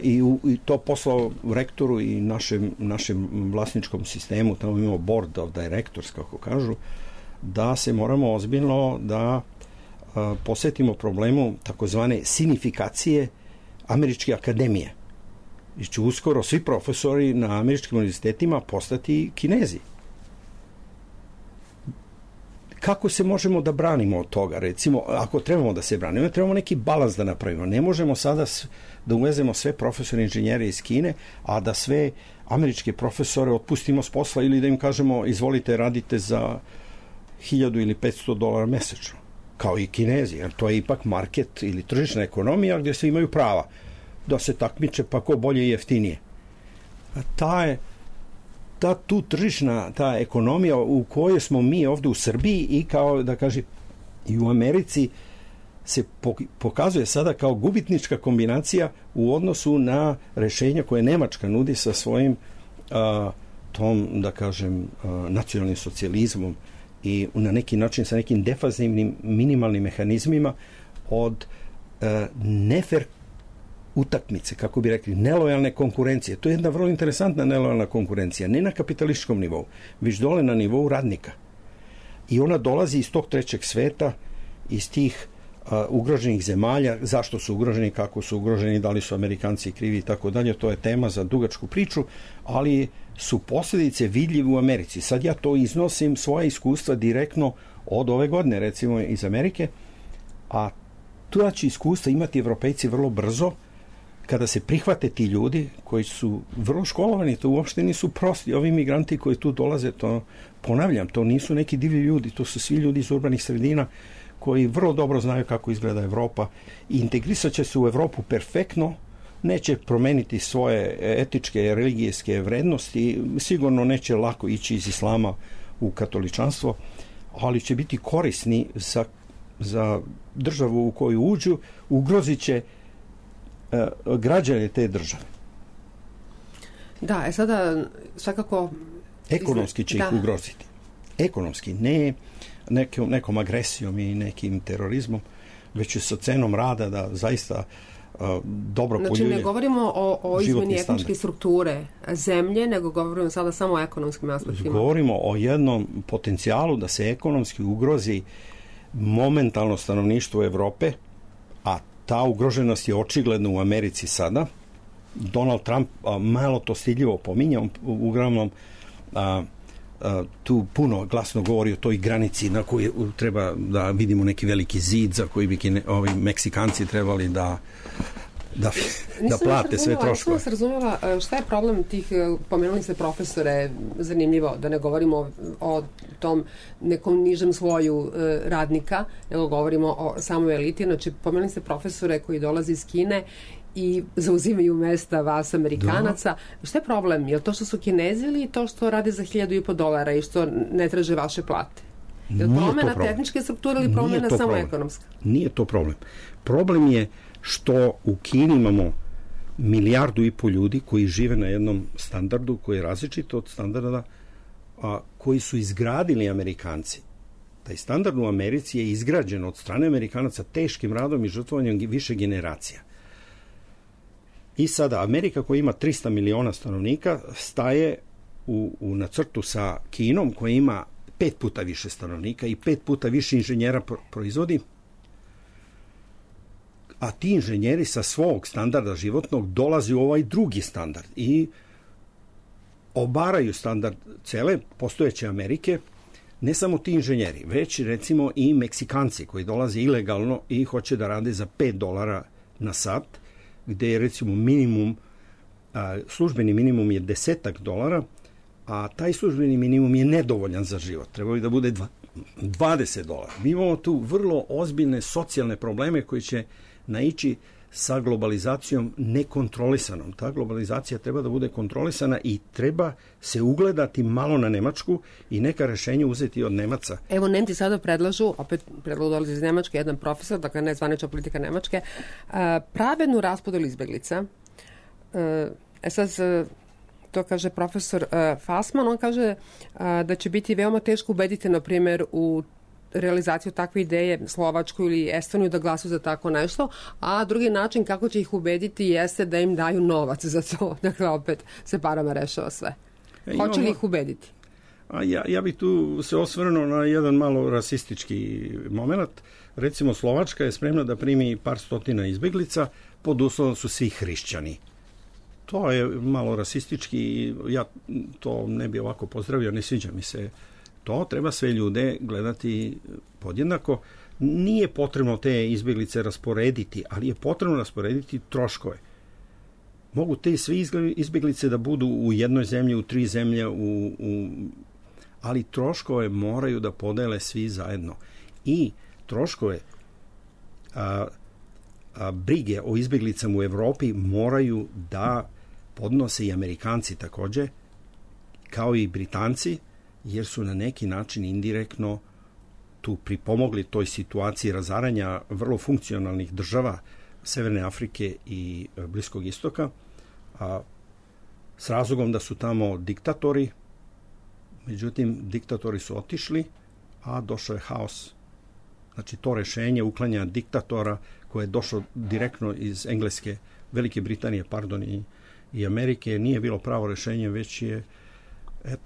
i to poslao rektoru i našem vlasničkom sistemu, tamo imamo board of directors, kako kažu, da se moramo ozbiljno da posvetimo problemu takozvane sinifikacije američke akademije. I će uskoro svi profesori na američkim univerzitetima postati Kinezi. Kako se možemo da branimo od toga? Recimo, ako trebamo da se branimo, trebamo neki balans da napravimo. Ne možemo sada da uvezemo sve profesore inženjere iz Kine, a da sve američke profesore otpustimo s posla ili da im kažemo izvolite radite za $1000 ili $500 mesečno. Kao i Kinezi, jer to je ipak market ili tržišna ekonomija gdje svi imaju prava da se takmiče pa ko bolje i jeftinije. Tu tržišna, ta ekonomija u kojoj smo mi ovdje u Srbiji i kao da kažem i u Americi se pokazuje sada kao gubitnička kombinacija u odnosu na rešenja koje Nemačka nudi sa svojim tom, da kažem, nacionalnim socijalizmom i na neki način sa nekim defazivnim minimalnim mehanizmima od nefer utakmice, kako bi rekli, nelojalne konkurencije. To je jedna vrlo interesantna nelojalna konkurencija, ne na kapitalističkom nivou, već dole na nivou radnika. I ona dolazi iz tog trećeg sveta, iz tih ugroženih zemalja, zašto su ugroženi, kako su ugroženi, da li su Amerikanci krivi i tako dalje, to je tema za dugačku priču, ali su posljedice vidljive u Americi. Sad ja to iznosim svoje iskustva direktno od ove godine, recimo iz Amerike, a tu će iskustva imati Evropejci vrlo brzo, kada se prihvate ti ljudi koji su vrlo školovani, to uopšte nisu prosti. Ovi migranti koji tu dolaze, to ponavljam, to nisu neki divlji ljudi, to su svi ljudi iz urbanih sredina koji vrlo dobro znaju kako izgleda Evropa i integrisat će se u Evropu perfektno, neće promeniti svoje etičke, religijske vrednosti, sigurno neće lako ići iz islama u katoličanstvo, ali će biti korisni za državu u koju uđu, ugrozit će građane te države.
Da, sada svakako...
Ekonomski će ih ugroziti. Ekonomski, ne nekom agresijom i nekim terorizmom, već sa cenom rada da zaista dobro poljulje.
Znači ne govorimo o izmeni etničke strukture zemlje, nego govorimo sada samo o ekonomskim aspektima.
Govorimo o jednom potencijalu da se ekonomski ugrozi momentalno stanovništvo Evrope, a ta ugroženost je očigledna u Americi sada. Donald Trump malo to stidljivo pominja, uglavnom tu puno glasno govori o toj granici na kojoj treba da vidimo neki veliki zid za koji bi ovi Meksikanci trebali da plate sve troškove.
Nisam se razumela šta je problem tih, pomenuli ste profesore, zanimljivo, da ne govorimo o tom nekom nižem sloju radnika, nego govorimo o samoj eliti. Znači, pomenuli ste profesore koji dolaze iz Kine i zauzimaju mesta vas Amerikanaca. Da. Šta je problem? Je li to što su Kinezi ili to što rade za $1000 i što ne traže vaše plate? Je li promjena tehničke strukture ili promjena samo ekonomska?
Nije to problem. Problem je što u Kini imamo 1,5 milijardu ljudi koji žive na jednom standardu koji je različit od standarda koji su izgradili Amerikanci. Taj standard u Americi je izgrađen od strane Amerikanaca teškim radom i žrtvovanjem više generacija. I sada Amerika koja ima 300 miliona stanovnika staje na crtu sa Kinom koja ima 5 puta više stanovnika i 5 puta više inženjera proizvodi, a ti inženjeri sa svog standarda životnog dolazi u ovaj drugi standard i obaraju standard cele postojeće Amerike, ne samo ti inženjeri, već recimo i Meksikanci koji dolaze ilegalno i hoće da rade za $5 na sat, gde je recimo minimum, službeni minimum je $10, a taj službeni minimum je nedovoljan za život. Treba bi da bude $20. Mi imamo tu vrlo ozbiljne socijalne probleme koji će naići sa globalizacijom nekontrolisanom. Ta globalizacija treba da bude kontrolisana i treba se ugledati malo na Nemačku i neka rešenja uzeti od Nemaca.
Evo, Nemci sada predlažu, opet predlog dolazi iz Nemačke, jedan profesor, dakle nezvanična politika Nemačke, pravednu raspodelu izbeglica. Sad to kaže profesor Fassmann, on kaže da će biti veoma teško ubediti, na primjer, u realizaciju takve ideje Slovačku ili Estoniju da glasuju za tako nešto, a drugi način kako će ih ubediti jeste da im daju novac za to. Dakle, opet se parama rešava sve. Hoće li ih ubediti?
Ja bih tu se osvrnuo na jedan malo rasistički moment. Recimo, Slovačka je spremna da primi par stotina izbeglica pod uslovom su svi hrišćani. To je malo rasistički i ja to ne bi ovako pozdravio, ne sviđa mi se to. Treba sve ljude gledati podjednako. Nije potrebno te izbeglice rasporediti, ali je potrebno rasporediti troškove. Mogu te svi izbeglice da budu u jednoj zemlji, u 3 zemlje, ali troškove moraju da podele svi zajedno. I troškove brige o izbeglicama u Evropi moraju da podnose i Amerikanci takođe, kao i Britanci, jer su na neki način indirektno tu pripomogli toj situaciji razaranja vrlo funkcionalnih država Severne Afrike i Bliskog istoka, s razlogom da su tamo diktatori. Međutim, diktatori su otišli, a došao je haos. Znači, to rešenje uklanja diktatora koje je došlo direktno iz Engleske, Velike Britanije, i Amerike, nije bilo pravo rešenje, već je,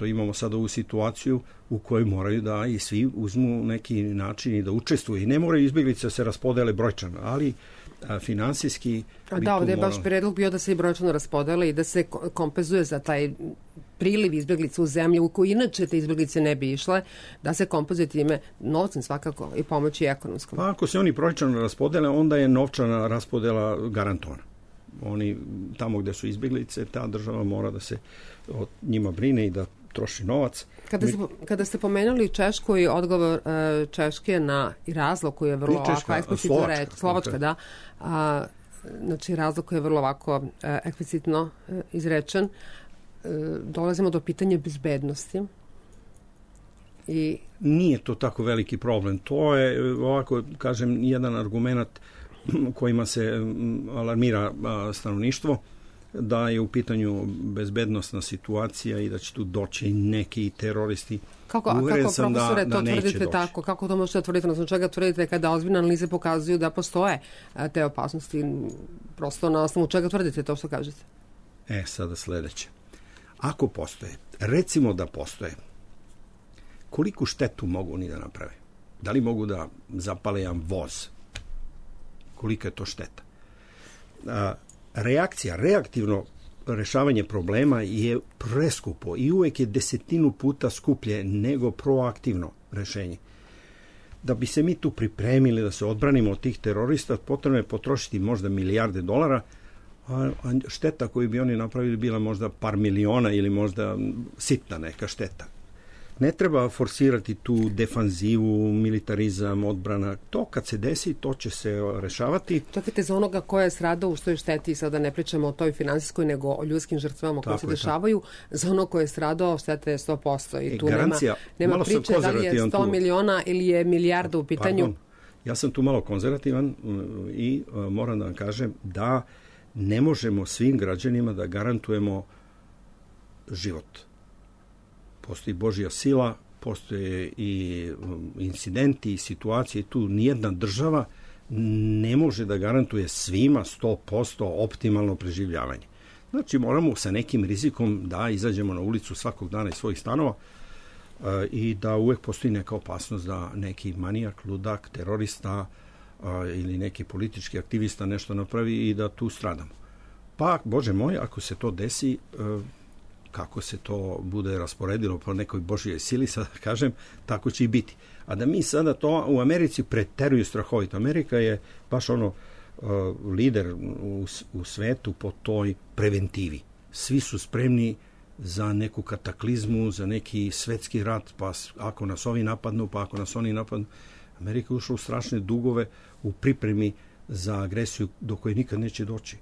imamo sad ovu situaciju u kojoj moraju da i svi uzmu neki način i da učestvuju. I ne moraju izbjeglice se raspodele brojčano, ali finansijski...
Da, ovdje je baš predlog bio da se i brojčano raspodele i da se kompenzuje za taj priliv izbjeglica u zemlju u koju inače te izbjeglice ne bi išle, da se kompenzuje time novcem svakako i pomoći ekonomskom.
Pa ako se oni brojčano raspodele, onda je novčana raspodela garantovana. Oni tamo gde su izbjeglice, ta država mora da se o njima brine i da troši novac.
Kada ste pomenuli Češku i odgovor Češke na i razlog koji je vrlo ovako eksplicitno Slovačka, da. Znači razlog koji je vrlo ovako eksplicitno izrečen. Dolazimo do pitanja bezbednosti.
Nije to tako veliki problem. To je, ovako kažem, jedan argument kojima se alarmira stanovništvo, da je u pitanju bezbednosna situacija i da će tu doći neki teroristi.
Kako profesore to tvrdite tako? Kako to možete tvrditi? Odnosno čega tvrdite kada ozbiljne analize pokazuju da postoje te opasnosti? Prosto na osnovu čega tvrdite to što kažete?
Sada sledeće. Ako postoje, recimo da postoje, koliku štetu mogu oni da naprave? Da li mogu da zapale jedan voz? Kolika je to šteta? Reaktivno rešavanje problema je preskupo i uvek je 10 puta skuplje nego proaktivno rešenje. Da bi se mi tu pripremili da se odbranimo od tih terorista, potrebno je potrošiti možda milijarde dolara, a šteta koju bi oni napravili bila možda par miliona ili možda sitna neka šteta. Ne treba forsirati tu defanzivu, militarizam, odbrana. To kad se desi, to će se rešavati.
Čekajte, za onoga ko je stradao u toj šteti, sada ne pričamo o toj finansijskoj, nego o ljudskim žrtvama koje se dešavaju, za ono ko je stradao, šteta je 100%. I tu nema priče da li je 100 miliona ili je milijarda u pitanju.
Pardon, ja sam tu malo konzervativan i moram da vam kažem da ne možemo svim građanima da garantujemo život. Postoji Božja sila, postoje i incidenti i situacije. Tu nijedna država ne može da garantuje svima 100% optimalno preživljavanje. Znači moramo sa nekim rizikom da izađemo na ulicu svakog dana iz svojih stanova i da uvek postoji neka opasnost da neki manijak, ludak, terorista ili neki politički aktivista nešto napravi i da tu stradamo. Pa, Bože moj, ako se to desi, kako se to bude rasporedilo po nekoj Božjoj sili, sada kažem, tako će i biti. A da mi sada to u Americi preteruju strahovito. Amerika je baš lider u svetu po toj preventivi. Svi su spremni za neku kataklizmu, za neki svetski rat, pa ako nas ovi napadnu, pa ako nas oni napadnu. Amerika je ušla u strašne dugove u pripremi za agresiju do koje nikad neće doći.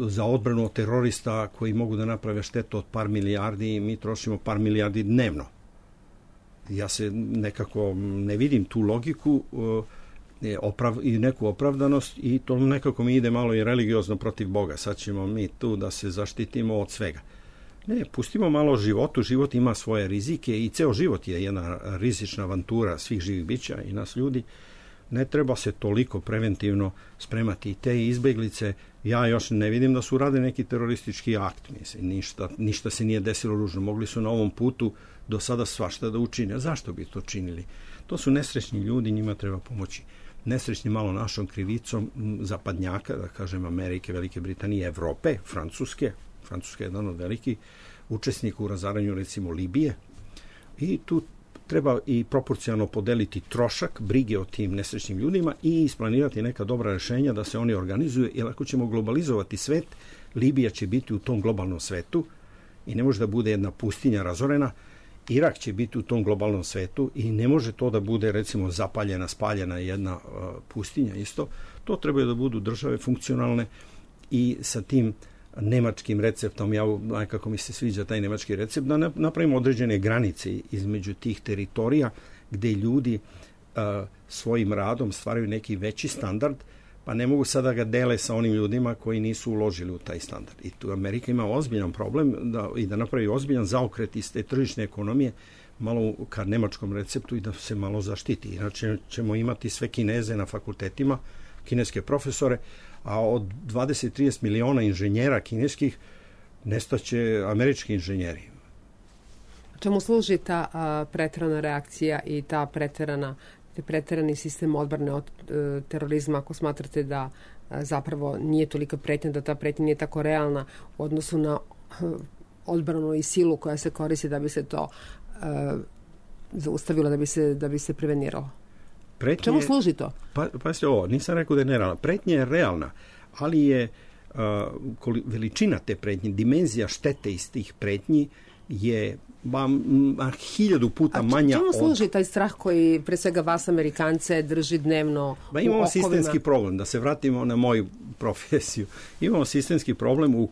Za odbranu od terorista koji mogu da naprave štetu od par milijardi i mi trošimo par milijardi dnevno. Ja se nekako ne vidim tu logiku i neku opravdanost i to nekako mi ide malo i religiozno protiv Boga. Sad ćemo mi tu da se zaštitimo od svega. Ne, pustimo malo životu. Život ima svoje rizike i ceo život je jedna rizična avantura svih živih bića i nas ljudi. Ne treba se toliko preventivno spremati. I te izbeglice, ja još ne vidim da su radili neki teroristički akt. Mislim, ništa se nije desilo ružno. Mogli su na ovom putu do sada svašta da učine. Zašto bi to činili? To su nesrećni ljudi, njima treba pomoći. Nesrećni malo našom krivicom zapadnjaka, da kažem Amerike, Velike Britanije, Evrope, Francuske. Francuska je jedan od velikih učesnika u razaranju recimo Libije. I tu treba i proporcionalno podeliti trošak brige o tim nesrećnim ljudima i isplanirati neka dobra rešenja da se oni organizuju, jer ako ćemo globalizovati svet, Libija će biti u tom globalnom svetu i ne može da bude jedna pustinja razorena. Irak će biti u tom globalnom svetu i ne može to da bude recimo zapaljena, spaljena jedna pustinja isto. To trebaju da budu države funkcionalne i sa tim nemačkim receptom, kako mi se sviđa taj nemački recept, da napravimo određene granice između tih teritorija gde ljudi svojim radom stvaraju neki veći standard, pa ne mogu sada ga dele sa onim ljudima koji nisu uložili u taj standard. I tu Amerika ima ozbiljan problem da napravi ozbiljan zaokret iz te tržišne ekonomije malo ka nemačkom receptu i da se malo zaštiti. Inače ćemo imati sve Kineze na fakultetima, kineske profesore, a od 20-30 miliona inženjera kineskih nestaće američki inženjeri.
Čemu služi ta preterana reakcija i ta preterani sistem odbrane od terorizma, ako smatrate da zapravo nije tolika pretnja, da ta pretnja nije tako realna u odnosu na odbranu i silu koja se koristi da bi se to zaustavilo, da bi se preveniralo? Čemu služi to?
Pazite ovo, nisam rekao da je nerealna. Pretnja je realna, ali je veličina te pretnje, dimenzija štete iz tih pretnji je 1000 puta manja.
Čemu služi taj strah koji pre svega vas Amerikance drži dnevno u okovima?
Imamo sistemski problem, da se vratimo na moju profesiju. Imamo sistemski problem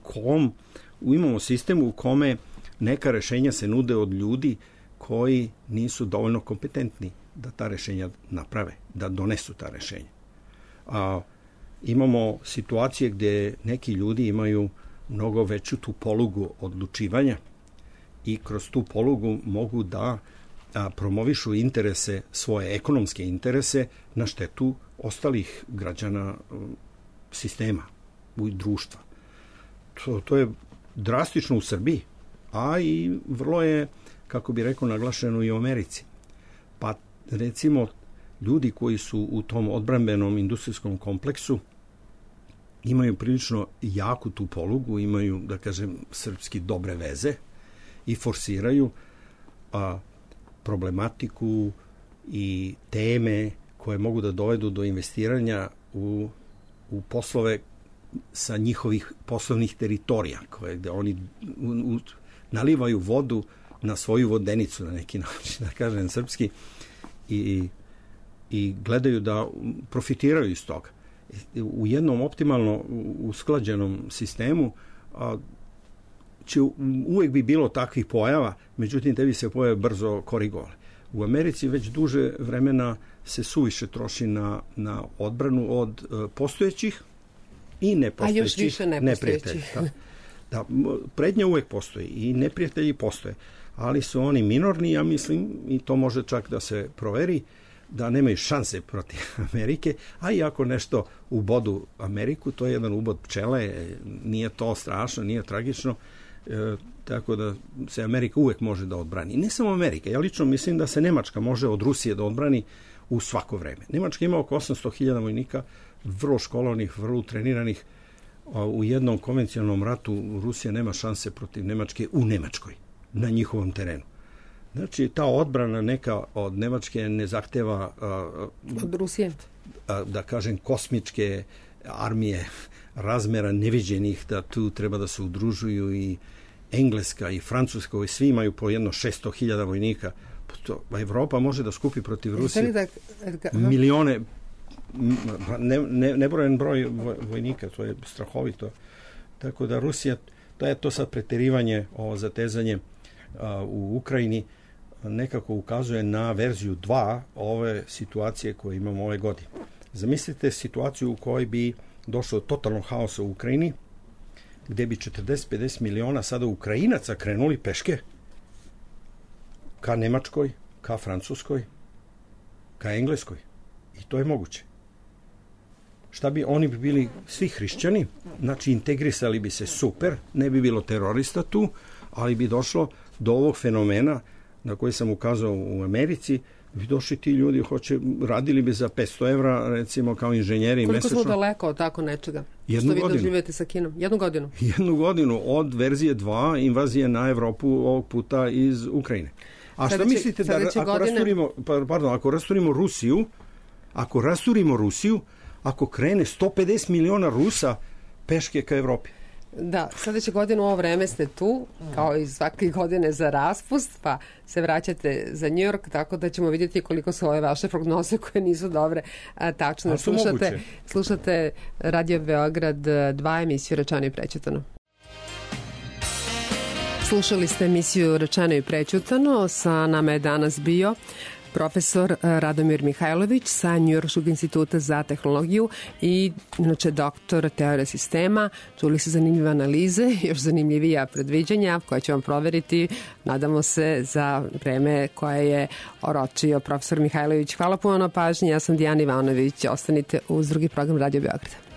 imamo sistem u kome neka rešenja se nude od ljudi koji nisu dovoljno kompetentni da ta rešenja naprave, da donesu ta rešenja. Imamo situacije gde neki ljudi imaju mnogo veću tu polugu odlučivanja i kroz tu polugu mogu da promovišu interese, svoje ekonomske interese na štetu ostalih građana sistema i društva. To je drastično u Srbiji, a i vrlo je, kako bi rekao, naglašeno i u Americi. Pa recimo ljudi koji su u tom odbrambenom industrijskom kompleksu imaju prilično jaku tu polugu, imaju, da kažem, srpski dobre veze i forsiraju problematiku i teme koje mogu da dovedu do investiranja u poslove sa njihovih poslovnih teritorija, gde oni nalivaju vodu na svoju vodenicu na neki način, da kažem srpski, i gledaju da profitiraju iz toga. U jednom optimalno usklađenom sistemu će uvek bi bilo takvih pojava, međutim te bi se pojave brzo korigovale. U Americi već duže vremena se suviše troši na odbranu od postojećih i nepostojećih.
A još više nepostojećih.
Da, prednja uvek postoji i neprijatelji postoje, ali su oni minorni, ja mislim, i to može čak da se proveri, da nemaju šanse protiv Amerike, a i ako nešto ubodu Ameriku, to je jedan ubod pčele, nije to strašno, nije tragično, tako da se Amerika uvek može da odbrani. Ne samo Amerika, ja lično mislim da se Nemačka može od Rusije da odbrani u svako vreme. Nemačka ima oko 800.000 vojnika, vrlo školovanih, vrlo treniranih. U jednom konvencionalnom ratu Rusija nema šanse protiv Nemačke u Nemačkoj, na njihovom terenu. Znači, ta odbrana neka od Nemačke ne zahteva
od Rusije,
da kažem, kosmičke armije razmera neviđenih, da tu treba da se udružuju i Engleska i Francuska, i svi imaju po jedno 600.000 vojnika. Evropa može da skupi protiv Rusije milione, nebrojen broj vojnika, to je strahovito. Tako da Rusija, to je to sad preterivanje, ovo zatezanje u Ukrajini, nekako ukazuje na verziju 2 ove situacije koje imamo ove godine. Zamislite situaciju u kojoj bi došlo do totalnog haosa u Ukrajini, gde bi 40-50 miliona sada Ukrajinaca krenuli peške ka Nemačkoj, ka Francuskoj, ka Engleskoj. I to je moguće. Šta bi, oni bi bili svi hrišćani, znači integrisali bi se super, ne bi bilo terorista tu, ali bi došlo do ovog fenomena na koji sam ukazao u Americi, bi došli ti ljudi, radili bi za 500 evra, recimo, kao inženjeri mesečno.
Koliko smo daleko od tako nečega?
Jednu godinu.
Što vi doživete sa Kinom? Jednu godinu?
Jednu godinu od verzije 2 invazije na Evropu, ovog puta iz Ukrajine. A šta mislite da ako rasturimo Rusiju, ako krene 150 miliona Rusa peške ka Evropi?
Da, sledeće godine u ovo vreme ste tu, kao i svake godine za raspust, pa se vraćate za New York, tako da ćemo vidjeti koliko su ove vaše prognoze koje nisu dobre tačno. Slušate Radio Beograd 2, emisiju Rečeno i prećutano. Slušali ste emisiju Rečeno i prećutano, sa nama je danas bio profesor Radomir Mihajlović sa Njujorškog instituta za tehnologiju i inače doktor teorije sistema. Čuli se zanimljive analize, još zanimljivija predviđanja koje će vam proveriti, nadamo se, za vreme koje je oročio profesor Mihajlović. Hvala puno na pažnji, ja sam Dijana Ivanović, ostanite uz drugi program Radio Beograda.